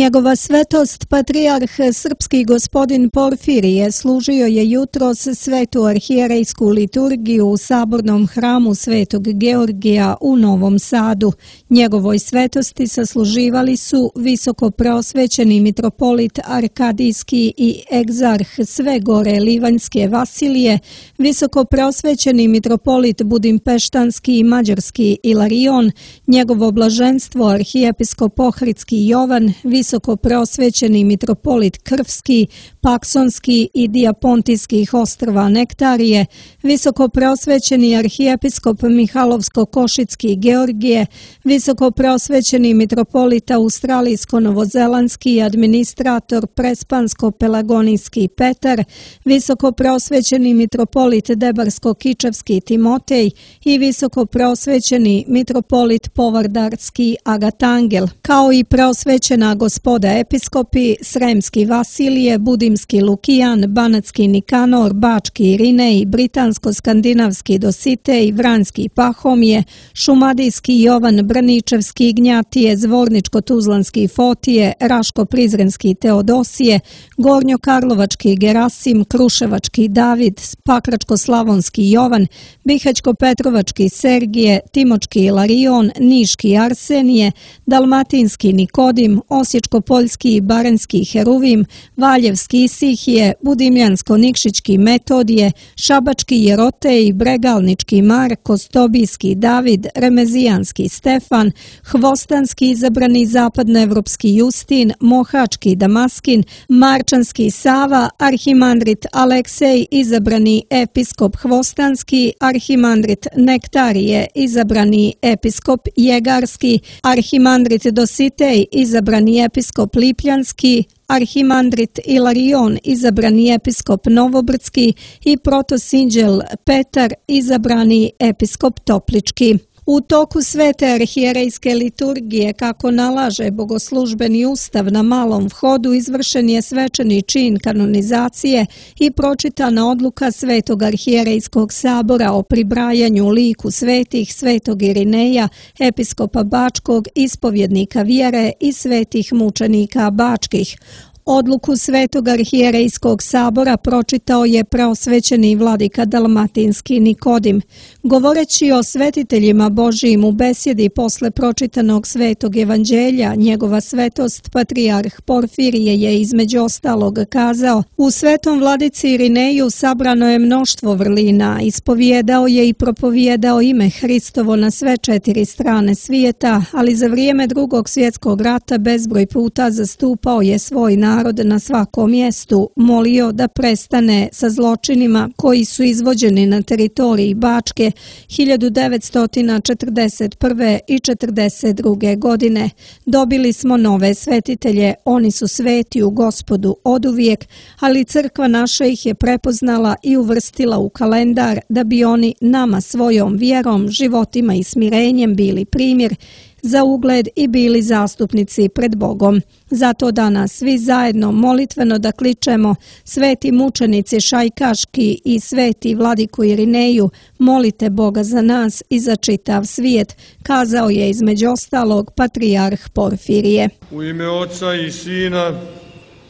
Njegova svetost, patrijarh srpski gospodin Porfirije, služio je jutros svetu arhijerejsku liturgiju u sabornom hramu Svetog Georgija u Novom Sadu. Njegovoj svetosti sasluživali su visoko preosvećeni mitropolit Arkadijski i egzarh Sve Gore Livanjske Vasilije, visoko preosvećeni mitropolit Budimpeštanski i Mađarski Ilarion, njegovo blaženstvo arhijepiskop Ohridski Jovan, visoko preosvećeni mitropolit Krfski, Paksonski i Dijapontijskih ostrva Nektarije, visoko preosvećeni arhijepiskop Mihalovsko-Košitski Georgije, visoko preosvećeni mitropolit Australijsko-Novozelandski i administrator Prespansko-Pelagonijski Petar, visoko preosvećeni mitropolit Debarsko-Kičevski Timotej i visoko preosvećeni mitropolit Povardarski Agatangel, kao i preosvećena gospoda episkopi Sremski Vasilije, Budimski Lukijan, Banatski Nikanor, Bački Irinej, Britansko-skandinavski Dositej, Vranjski Pahomije, Šumadijski Jovan Brničevski Ignjatije, Zvorničko-tuzlanski Fotije, Raško-prizrenski Teodosije, Gornjokarlovački Gerasim, Kruševački David, Pakračko-slavonski Jovan, Bihać-Petrovački Sergije, Timočki Ilarion, Niški Arsenije, Dalmatinski Nikodim, Osječko-poljski i Baranjski Heruvim, Valjevski Isihije, Budimljansko-Nikšićki Metodije, Šabački Jerotej, Bregalnički Marko, Stobijski David, Remezijanski Stefan, Hvostanski izabrani zapadnoevropski Justin, Mohački Damaskin, Marčanski Sava, Arhimandrit Aleksej, izabrani episkop Hvostanski, Arhimandrit Nektarije, izabrani episkop Jegarski, Arhimandrit Dositej, izabrani episkop Lipljanski, Arhimandrit Ilarion, izabrani episkop Novobrdski i protosinđel Petar, izabrani episkop Toplički. U toku svete arhijerejske liturgije, kako nalaže bogoslužbeni ustav, na malom vhodu izvršen je svečani čin kanonizacije i pročitana odluka Svetog arhijerejskog sabora o pribrajanju liku svetih Svetog Irineja, episkopa Bačkog, ispovjednika vjere i svetih mučenika bačkih. Odluku Svetog arhijerejskog sabora pročitao je preosvećeni vladika Dalmatinski Nikodim. Govoreći o svetiteljima Božijim u besjedi posle pročitanog Svetog evanđelja, njegova svetost, patrijarh Porfirije, je između ostalog kazao: u svetom vladici Irineju sabrano je mnoštvo vrlina, ispovijedao je i propovijedao ime Hristovo na sve 4 strane svijeta, ali za vrijeme Drugog svjetskog rata bezbroj puta zastupao je svoj narod na svakom mjestu, molio da prestane sa zločinima koji su izvođeni na teritoriji Bačke 1941. i 1942. godine. Dobili smo nove svetitelje, oni su sveti u Gospodu oduvijek, ali crkva naša ih je prepoznala i uvrstila u kalendar da bi oni nama svojom vjerom, životima i smirenjem bili primjer za ugled i bili zastupnici pred Bogom. Zato danas svi zajedno molitveno da kličemo: sveti mučenici Šajkaški i sveti vladiku Irineju, molite Boga za nas i za čitav svijet, kazao je između ostalog patrijarh Porfirije. U ime Oca i Sina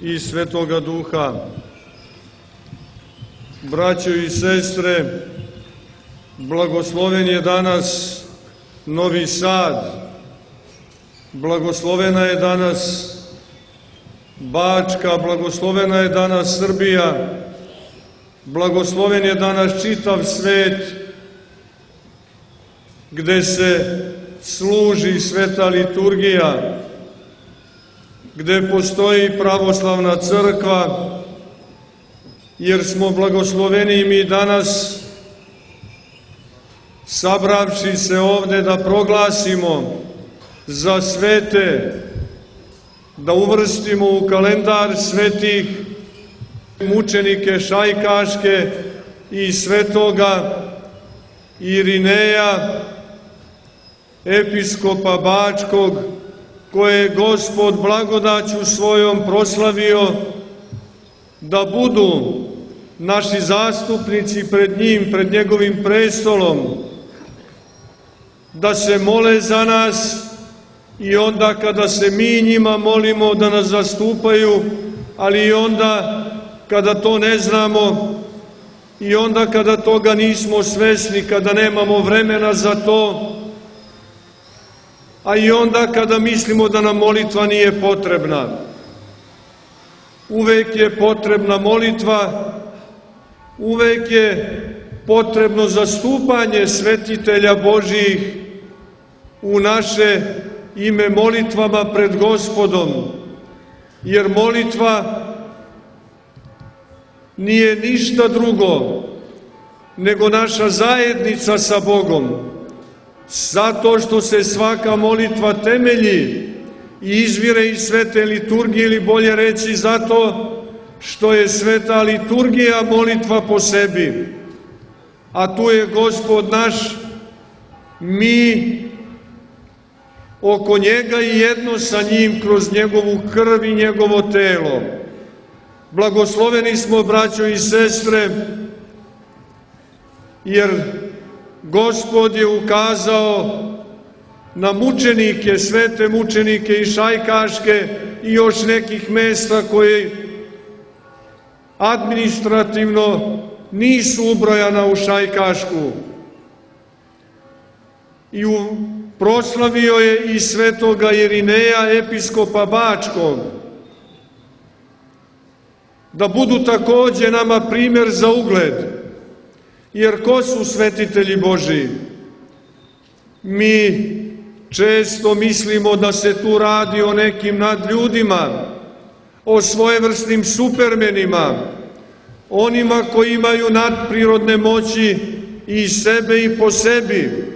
i Svetoga Duha. Braćo i sestre, blagosloven je danas Novi Sad, blagoslovena je danas Bačka, blagoslovena je danas Srbija, blagosloven je danas čitav svet gde se služi sveta liturgija, gde postoji pravoslavna crkva, jer smo blagosloveni mi danas sabravši se ovde da proglasimo za svete, da uvrstimo u kalendar svetih mučenike Šajkaške i svetoga Irineja, episkopa Bačkog, koje je Gospod blagodaću svojom proslavio da budu naši zastupnici pred njim, pred njegovim prestolom, da se mole za nas i onda kada se mi njima molimo da nas zastupaju, ali i onda kada to ne znamo i onda kada toga nismo svesni, kada nemamo vremena za to, a i onda kada mislimo da nam molitva nije potrebna. Uvek je potrebna molitva, uvek je potrebno zastupanje svetitelja Božjih u naše ime molitvama pred Gospodom, jer molitva nije ništa drugo nego naša zajednica sa Bogom, zato što se svaka molitva temelji i izvire iz svete liturgije, ili bolje reći zato što je sveta liturgija molitva po sebi, a tu je Gospod naš, mi oko njega i jedno sa njim kroz njegovu krv i njegovo telo. Blagosloveni smo, braćo i sestre, jer Gospod je ukazao na mučenike, svete mučenike i Šajkaške i još nekih mesta koje administrativno nisu ubrojana u Šajkašku. I proslavio je i svetoga Irineja, episkopa Bačkog, da budu takođe nama primjer za ugled. Jer ko su svetitelji Božiji? Mi često mislimo da se tu radi o nekim nadljudima, o svojevrsnim supermenima, onima koji imaju nadprirodne moći i sebe i po sebi.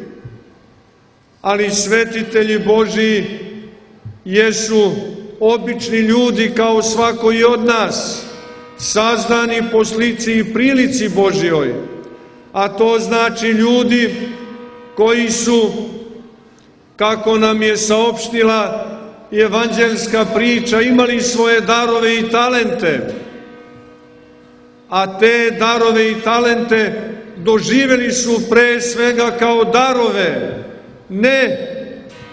Ali svetitelji Božiji jesu obični ljudi kao svako i od nas, sazdani po slici i prilici Božjoj, a to znači ljudi koji su, kako nam je saopštila evanđelska priča, imali svoje darove i talente, a te darove i talente doživjeli su pre svega kao darove, ne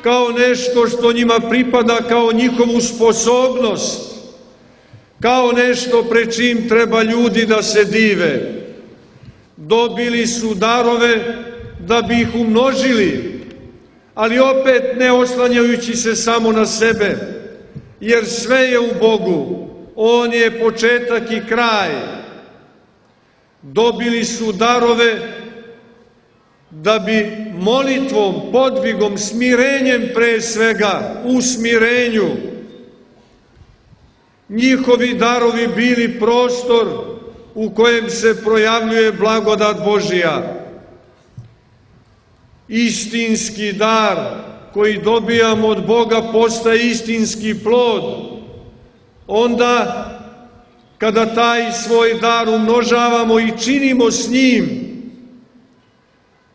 kao nešto što njima pripada, kao njihovu sposobnost, kao nešto pred čim treba ljudi da se dive. Dobili su darove da bi ih umnožili, ali opet ne oslanjajući se samo na sebe, jer sve je u Bogu, On je početak i kraj. Dobili su darove da bi molitvom, podvigom, smirenjem pre svega, u smirenju, njihovi darovi bili prostor u kojem se projavljuje blagodat Božja. Istinski dar koji dobijamo od Boga postaje istinski plod. Onda kada taj svoj dar umnožavamo i činimo s njim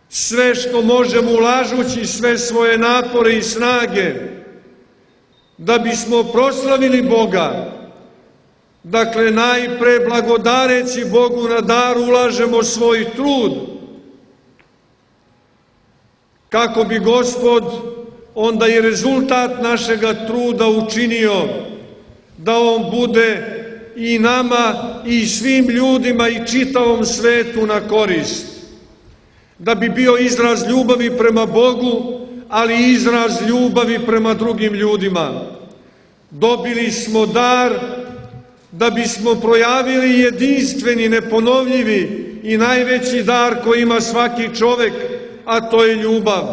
sve što možemo, ulažući sve svoje napore i snage da bismo proslavili Boga. Dakle, najpre blagodareći Bogu na dar ulažemo svoj trud, kako bi Gospod onda i rezultat našega truda učinio da on bude i nama i svim ljudima i čitavom svetu na korist. Da bi bio izraz ljubavi prema Bogu, ali i izraz ljubavi prema drugim ljudima. Dobili smo dar da bismo projavili jedinstveni, neponovljivi i najveći dar koji ima svaki čovek, a to je ljubav.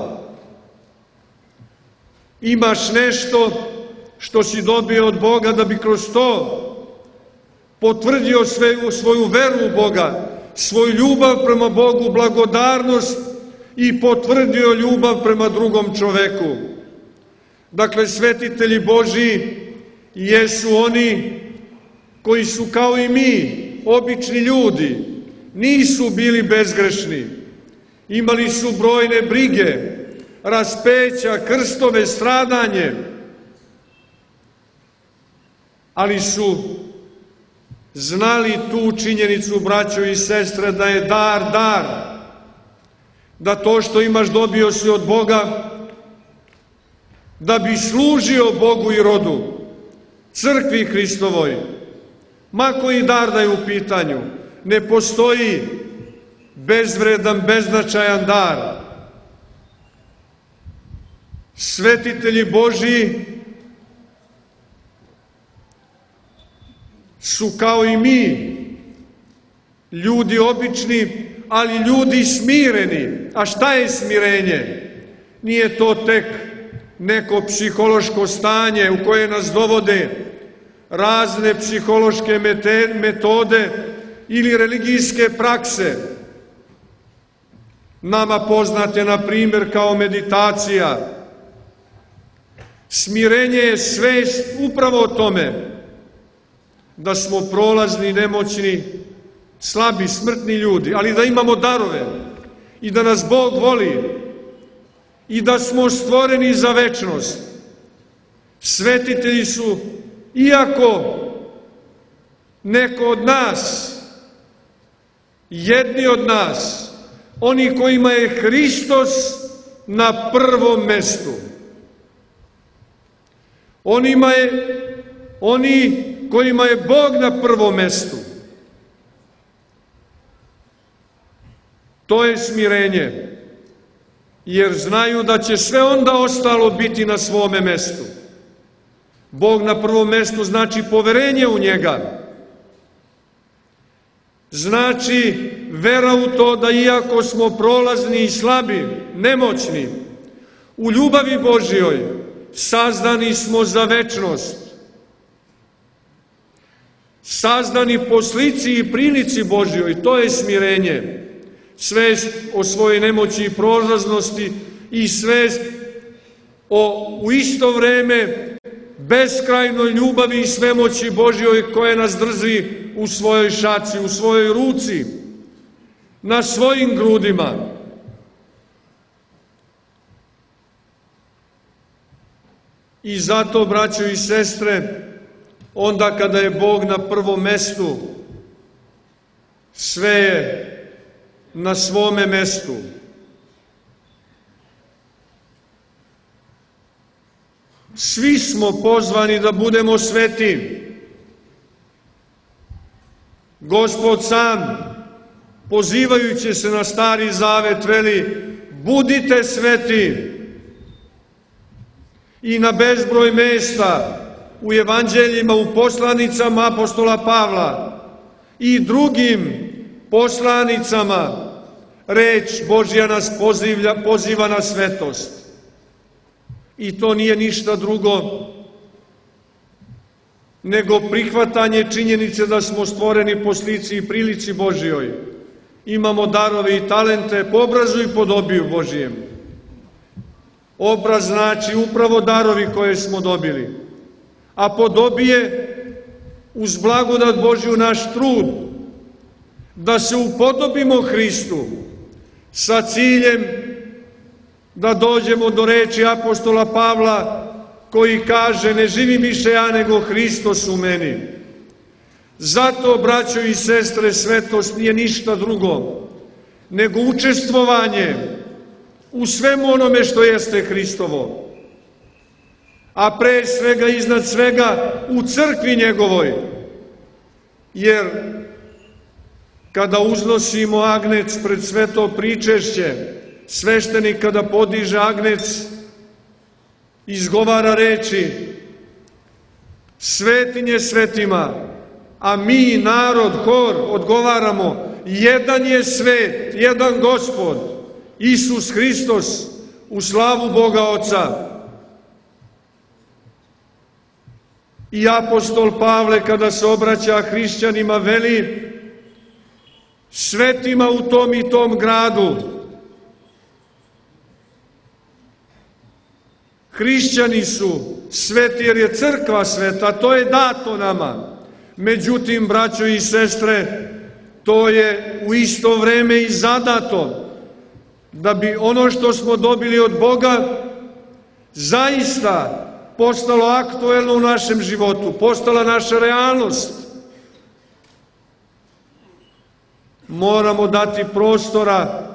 Imaš nešto što si dobio od Boga da bi kroz to potvrdio svoju veru u Boga, svoju ljubav prema Bogu, blagodarnost i potvrdio ljubav prema drugom čoveku. Dakle, svetitelji Božji jesu oni koji su kao i mi, obični ljudi, nisu bili bezgrešni. Imali su brojne brige, raspeća, krstove, stradanje, ali su znali tu činjenicu, braćo i sestre, da je dar dar, da to što imaš dobio si od Boga, da bi služio Bogu i rodu, crkvi Hristovoj. Ma koji dar da je u pitanju, ne postoji bezvredan, beznačajan dar. Svetitelji Božji su kao i mi, ljudi obični, ali ljudi smireni. A šta je smirenje? Nije to tek neko psihološko stanje u koje nas dovode razne psihološke metode ili religijske prakse. Nama poznate, na primjer, kao meditacija. Smirenje je svest upravo o tome da smo prolazni, nemoćni, slabi, smrtni ljudi, ali da imamo darove i da nas Bog voli i da smo stvoreni za večnost. Svetitelji su, iako neko od nas, jedni od nas, oni kojima je Hristos na prvom mestu. Oni kojima je Bog na prvom mestu. To je smirenje, jer znaju da će sve onda ostalo biti na svome mestu. Bog na prvom mestu znači poverenje u njega. Znači vera u to da iako smo prolazni i slabi, nemoćni, u ljubavi Božjoj sazdani smo za večnost. Sazdani po slici i prilici Božjoj, to je smirenje. Svest o svojoj nemoći i prolaznosti i svest o u isto vreme beskrajnoj ljubavi i svemoći Božjoj koja nas drži u svojoj šaci, u svojoj ruci, na svojim grudima. I zato, braćo i sestre, onda kada je Bog na prvom mestu, sve je na svome mestu. Svi smo pozvani da budemo sveti. Gospod sam, pozivajući se na Stari Zavet, veli: budite sveti. I na bezbroj mesta u evanđeljima, u poslanicama apostola Pavla i drugim poslanicama reč Božja nas poziva na svetost. I to nije ništa drugo nego prihvatanje činjenice da smo stvoreni po slici i prilici Božjoj. Imamo darove i talente po obrazu i podobiju Božjem. Obraz znači upravo darovi koje smo dobili, a podobije uz blagodat Božju naš trud da se upodobimo Hristu sa ciljem da dođemo do reči apostola Pavla koji kaže: ne živim više ja, nego Hristos u meni. Zato, braćo i sestre, svetost nije ništa drugo nego učestvovanje u svemu onome što jeste Hristovo, a pre svega, iznad svega, u crkvi njegovoj. Jer kada uznosimo agnec pred sveto pričešće, sveštenik kada podiže agnec, izgovara reči: svetinje svetima, a mi, narod, hor, odgovaramo: jedan je svet, jedan Gospod, Isus Hristos, u slavu Boga Oca. I apostol Pavle, kada se obraća hrišćanima, veli svetima u tom i tom gradu. Hrišćani su sveti jer je crkva sveta, to je dato nama. Međutim, braćo i sestre, to je u isto vreme i zadato, da bi ono što smo dobili od Boga zaista postalo aktuelno u našem životu, postala naša realnost. Moramo dati prostora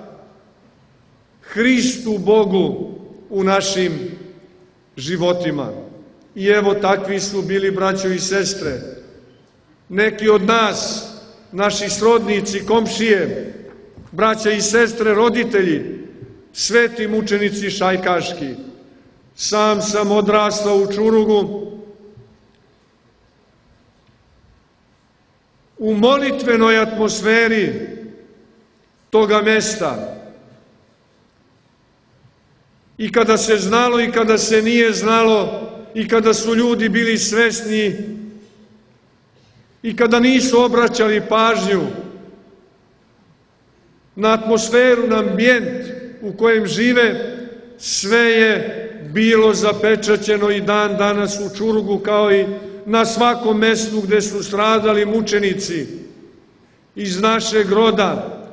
Hristu Bogu u našim životima. I evo takvi su bili braćo i sestre. Neki od nas, naši srodnici, komšije, braća i sestre, roditelji, sveti mučenici šajkaški. Sam sam odrastao u Čurugu, u molitvenoj atmosferi toga mesta. I kada se znalo i kada se nije znalo, i kada su ljudi bili svesni, i kada nisu obraćali pažnju na atmosferu, na ambijent u kojem žive, sve je bilo zapečaćeno i dan danas u Čurugu, kao i na svakom mestu gde su stradali mučenici iz našeg roda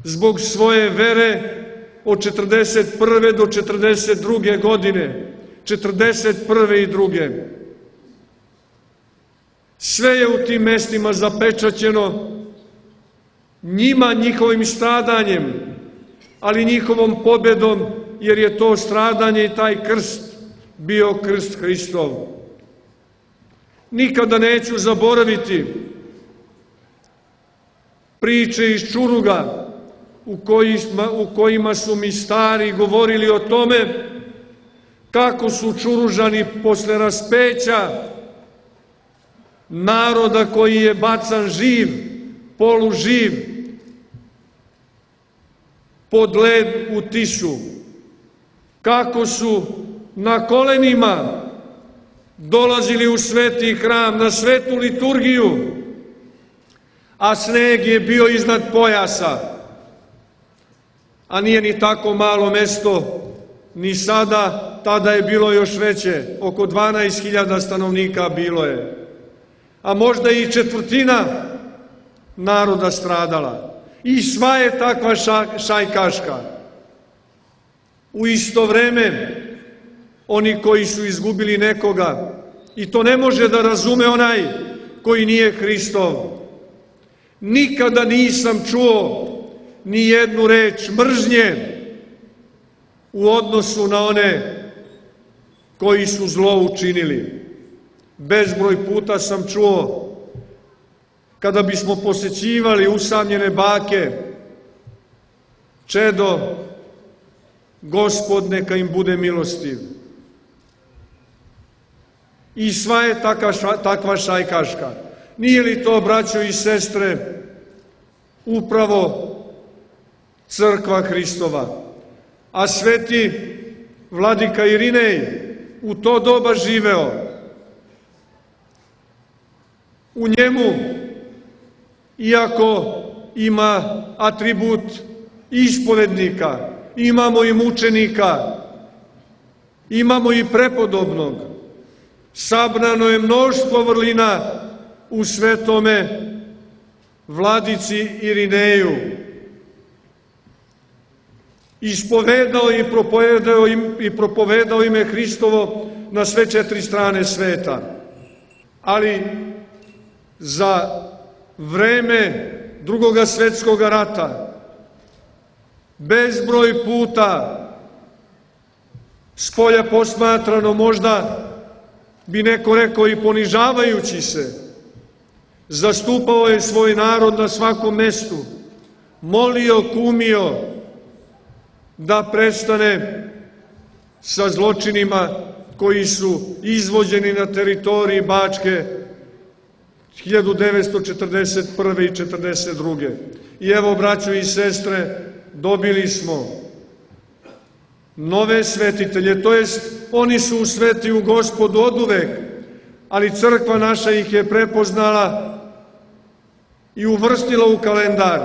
zbog svoje vere od 41. do 42. godine, 41. i 2. Sve je u tim mestima zapečaćeno njima, njihovim stradanjem, ali njihovom pobedom, jer je to stradanje i taj krst bio krst Hristov. Nikada neću zaboraviti priče iz Čuruga u kojima su mi stari govorili o tome kako su Čuružani posle raspeća naroda koji je bacan živ, poluživ, pod led u Tisu, kako su na kolenima dolazili u sveti hram, na svetu liturgiju, a sneg je bio iznad pojasa, a nije ni tako malo mesto, ni sada, tada je bilo još veće, oko 12.000 stanovnika bilo je, a možda i četvrtina naroda stradala. I sva je takva šajkaška. U isto vreme, oni koji su izgubili nekoga, i to ne može da razume onaj koji nije Hristov. Nikada nisam čuo ni jednu reč mržnje u odnosu na one koji su zlo učinili. Bezbroj puta sam čuo, kada bismo posećivali usamljene bake, čedo, Gospod neka im bude milostiv. I sva je takva šajkaška. Nije li to, braćo i sestre, upravo crkva Hristova? A sveti vladika Irinej u to doba živeo. U njemu, iako ima atribut ispovednika, imamo i mučenika, imamo i prepodobnog, sabrano je mnoštvo vrlina u svetome vladici Irineju. Ispovedao i propovedao ime Hristovo na sve 4 strane sveta. Ali za vreme Drugoga svetskog rata bezbroj puta, spolja posmatrano, možda bi neko rekao i ponižavajući se, zastupao je svoj narod na svakom mestu, molio, kumio da prestane sa zločinima koji su izvođeni na teritoriji Bačke 1941. i 1942. I evo, braćo i sestre, dobili smo nove svetitelje, to jest oni su sveti u Gospodu oduvek, ali crkva naša ih je prepoznala i uvrstila u kalendar,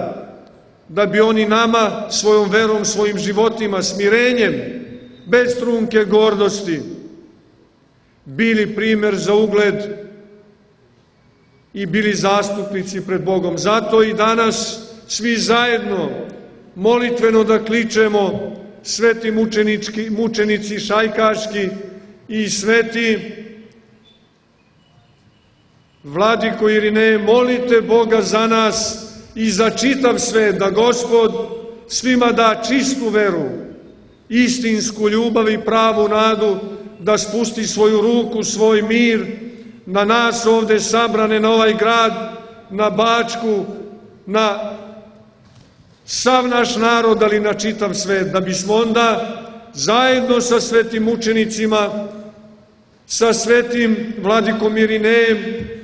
da bi oni nama svojom verom, svojim životima, smirenjem, bez trunke gordosti, bili primer za ugled i bili zastupnici pred Bogom. Zato i danas svi zajedno molitveno da kličemo: sveti mučenici šajkaški i sveti vladiko Irineje, molite Boga za nas i za čitav svet, da Gospod svima da čistu veru, istinsku ljubav i pravu nadu, da spusti svoju ruku, svoj mir na nas ovde sabrane, na ovaj grad, na Bačku, na sav naš narod, ali na čitav svet, da bismo onda zajedno sa svetim mučenicima, sa svetim vladikom Irinejem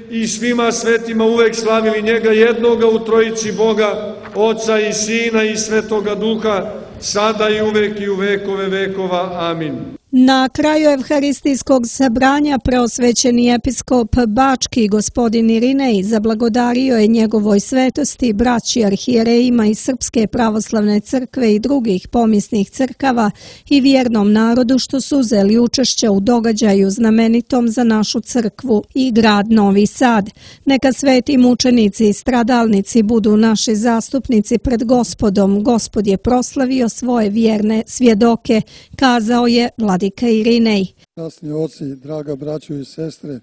i svima svetima uvek slavili njega jednoga u trojici Boga, Oca i Sina i Svetoga Duha, sada i uvek i u vekove vekova. Amin. Na kraju evharistijskog sabranja preosvećeni episkop Bački gospodin Irinej zablagodario je njegovoj svetosti, braći arhijerejima iz Srpske pravoslavne crkve i drugih pomisnih crkava i vjernom narodu što su uzeli učešće u događaju znamenitom za našu crkvu i grad Novi Sad. Neka sveti mučenici i stradalnici budu naši zastupnici pred Gospodom. Gospod je proslavio svoje vjerne svjedoke, kazao je vladika Irinej. Časni oci, draga braćo i sestre,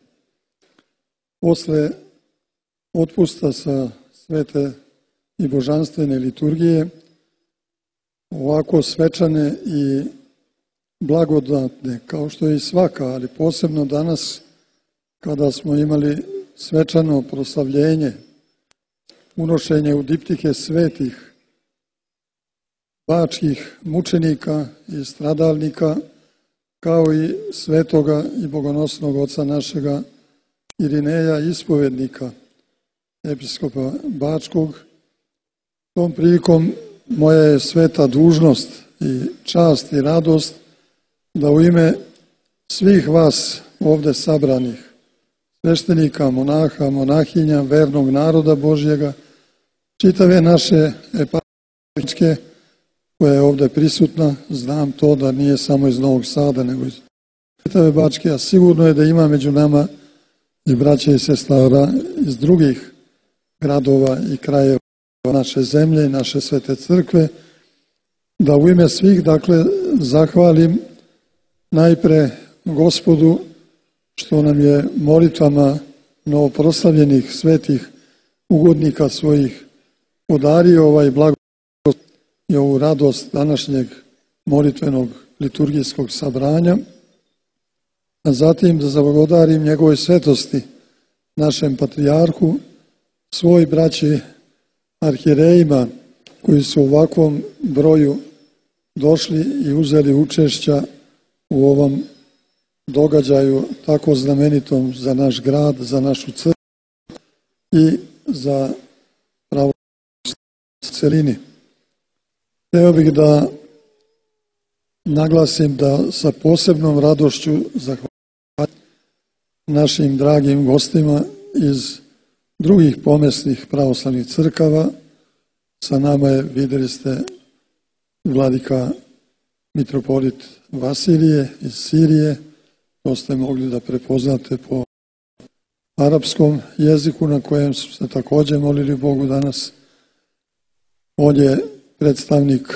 posle otpusta sa svete i božanstvene liturgije, ovako svečane i blagodatne, kao što je i svaka, ali posebno danas kada smo imali svečano proslavljenje, unošenje u diptike svetih bačkih mučenika i stradalnika, kao i svetoga i bogonosnog oca našega Irineja, ispovednika, episkopa Bačkog. Tom prilikom moja je sveta dužnost i čast i radost da u ime svih vas ovde sabranih, sveštenika, monaha, monahinja, vernog naroda Božjega, čitave naše eparhije koja je ovde prisutna, znam to da nije samo iz Novog Sada, nego iz čitave Bačke, a sigurno je da ima među nama i braća i sestara iz drugih gradova i krajeva naše zemlje i naše svete crkve, da u ime svih, dakle, zahvalim najpre Gospodu što nam je molitvama novoproslavljenih svetih ugodnika svojih podario ovaj blagoslov i ovu radost današnjeg molitvenog liturgijskog sabranja, a zatim da zablagodarim njegove svetosti, našem patrijarhu, svoj braći arhijerejima koji su u ovakvom broju došli i uzeli učešća u ovom događaju tako znamenitom za naš grad, za našu crkvu i za pravoslavnu celini. Hteo bih da naglasim da sa posebnom radošću zahvaljujem našim dragim gostima iz drugih pomesnih pravoslavnih crkava. Sa nama je, videli ste, vladika mitropolit Vasilije iz Sirije. To ste mogli da prepoznate po arapskom jeziku na kojem su se također molili Bogu danas. On je predstavnik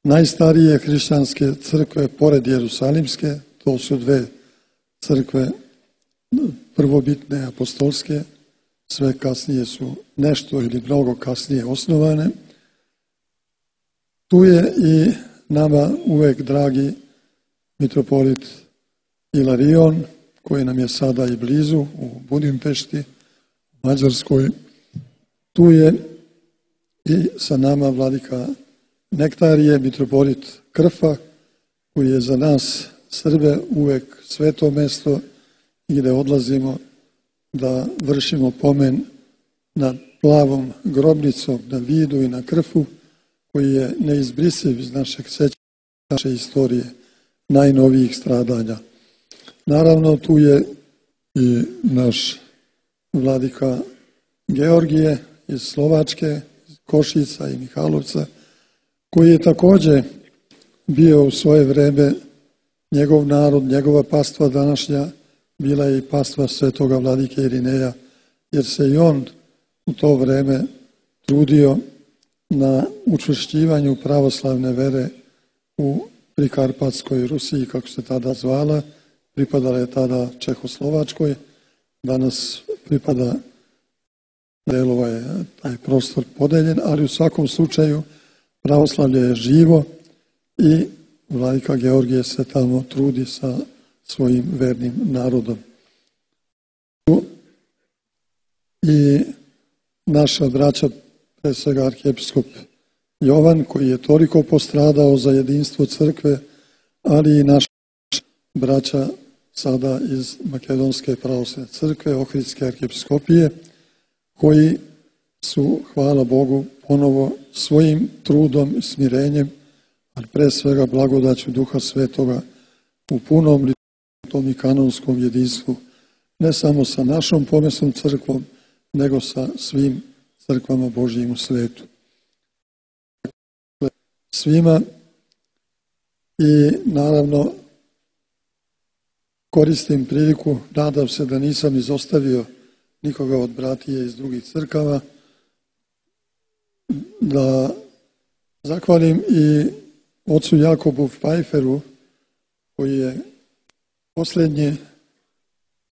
najstarije hrišćanske crkve pored Jerusalimske, to su dve crkve prvobitne apostolske, sve kasnije su nešto ili mnogo kasnije osnovane. Tu je i nama uvek dragi mitropolit Ilarion, koji nam je sada i blizu u Budimpešti, u Mađarskoj. Tu je i sa nama vladika Nektarije, mitropolit Krfa, koji je za nas Srbe uvek sveto mesto i gde odlazimo da vršimo pomen nad plavom grobnicom na Vidu i na Krfu, koji je neizbrisiv iz našeg sećanja, naše istorije, najnovijih stradanja. Naravno, tu je i naš vladika Georgije iz Slovačke, Košica i Mihalovca, koji je također bio u svoje vreme njegov narod, njegova pastva današnja, bila je i pastva svetoga vladike Irineja, jer se i on u to vreme trudio na učvršćivanju pravoslavne vere u Prikarpatskoj Rusiji, kako se tada zvala, pripadala je tada Čehoslovačkoj, danas pripada delova je taj prostor podeljen, ali u svakom slučaju pravoslavlje je živo i vladika Georgije se tamo trudi sa svojim vernim narodom. I naša braća, pre svega arhijepiskop Jovan, koji je toliko postradao za jedinstvo crkve, ali i naša braća sada iz Makedonske pravoslavne crkve, Ohridske arhijepiskopije, koji su, hvala Bogu, ponovo svojim trudom i smirenjem, ali pre svega blagodaću Duha Svetoga, u punom liturgijskom i kanonskom jedinstvu, ne samo sa našom pomesnom crkvom, nego sa svim crkvama Božjim u svetu. Svima i naravno koristim priliku, nadam se da nisam izostavio nikoga od bratije iz drugih crkava, da zahvalim i ocu Jakobu Pfeifferu, koji je posljednji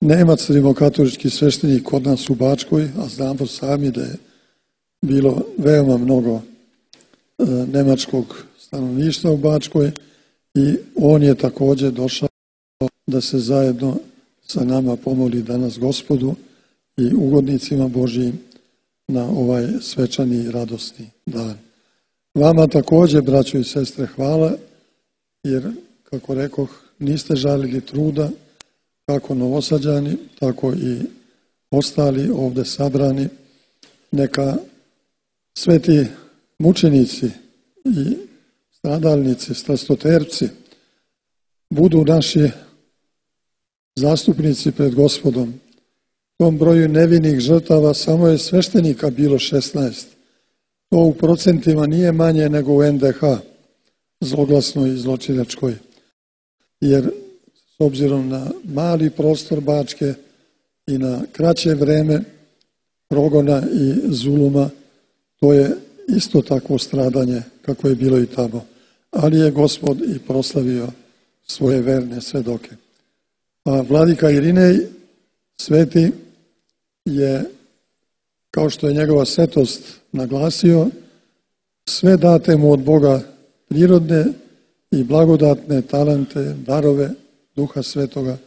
Nemac rimokatolički sveštenik kod nas u Bačkoj, a znamo sami da je bilo veoma mnogo nemačkog stanovništva u Bačkoj i on je također došao da se zajedno sa nama pomoli danas Gospodu i ugodnicima Božjim na ovaj svečani i radosni dan. Vama također, braćo i sestre, hvala, jer, kako rekoh, niste žalili truda, kako Novosađani, tako i ostali ovdje sabrani. Neka sveti mučenici i stradalnici, strastoterpci budu naši zastupnici pred Gospodom. U tom broju nevinih žrtava samo je sveštenika bilo 16. To u procentima nije manje nego u NDH, zloglasnoj i zločinačkoj. Jer s obzirom na mali prostor Bačke i na kraće vreme progona i zuluma, to je isto takvo stradanje kako je bilo i tamo. Ali je Gospod i proslavio svoje verne svedoke. A vladika Irinej sveti je, kao što je njegova svetost naglasio, sve date mu od Boga prirodne i blagodatne talente, darove Duha Svetoga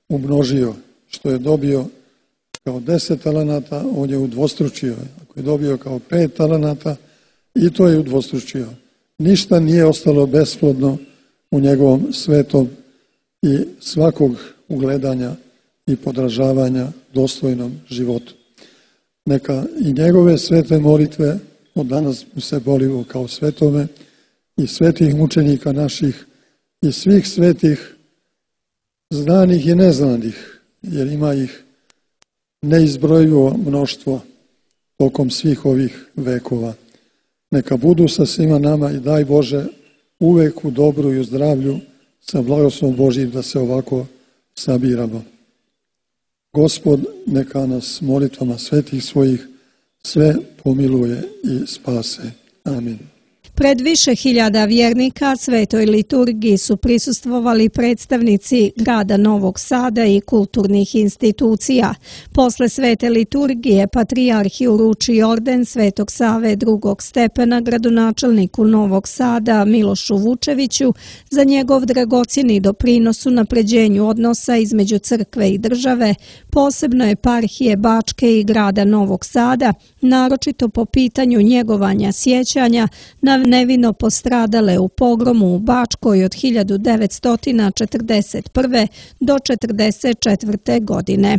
umnožio. Što je dobio kao 10 talenata, on je udvostručio. Ako je dobio kao 5 talenata, i to je udvostručio. Ništa nije ostalo besplodno u njegovom svetom i svakog ugledanja i podražavanja dostojnom životu. Neka i njegove svete molitve, od danas mu se molimo kao svetome, i svetih mučenika naših i svih svetih, znanih i neznanih, jer ima ih neizbrojivo mnoštvo tokom svih ovih vekova. Neka budu sa svima nama i daj Bože uvek u dobru i u zdravlju sa blagoslovom Božjim da se ovako sabiramo. Gospod neka nas molitvama svetih svojih sve pomiluje i spase. Amin. Pred više hiljada vjernika svetoj liturgiji su prisustvovali predstavnici grada Novog Sada i kulturnih institucija. Posle svete liturgije patrijarh je uručio orden Svetog Save drugog stepena gradonačelniku Novog Sada Milošu Vučeviću za njegov dragocjeni doprinos unapređenju odnosa između crkve i države, posebno eparhije Bačke i grada Novog Sada, naročito po pitanju njegovanja sjećanja na nevino postradale u pogromu u Bačkoj od 1941. do 1944. godine.